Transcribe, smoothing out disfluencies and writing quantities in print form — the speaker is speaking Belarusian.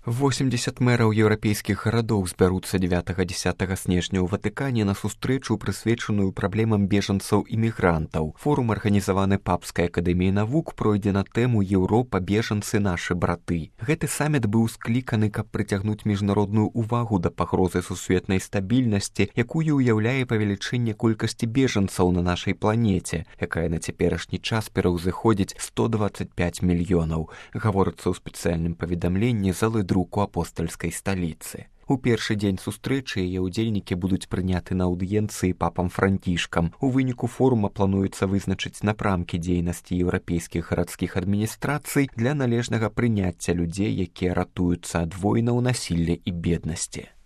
80 мэраў еўрапейскіх гарадоў збяруцца 9-10 снежня ў Ватыкане на сустрэчу, прысвечаную праблемам бежанцаў і мігрантаў. Форум, арганізаваны Папскай акадэміяй навук, пройдзе на тэму «Еўропа, бежанцы, нашы браты». Гэты саміт быў скліканы, каб прыцягнуць міжнародную ўвагу да пагрозы сусветнай стабільнасці, якую ўяўляе павелічэнне колькасці бежанцаў на нашай планеце, якая на цяперашні час пераўзыходзіць 125 мільёнаў, гаворыцца ў спецыяльным паведамленні залы друку апостальскай сталіцы. У першы дзень сустрэчы яе ўдзельнікі будуць прыняты на аўдыенцыі папам Францішкам. У выніку форума плануецца вызначыць напрамкі дзейнасці еўрапейскіх гарадскіх адміністрацый для належнага прыняцця людзей, якія ратуюцца ад войнаў, насілля і беднасці.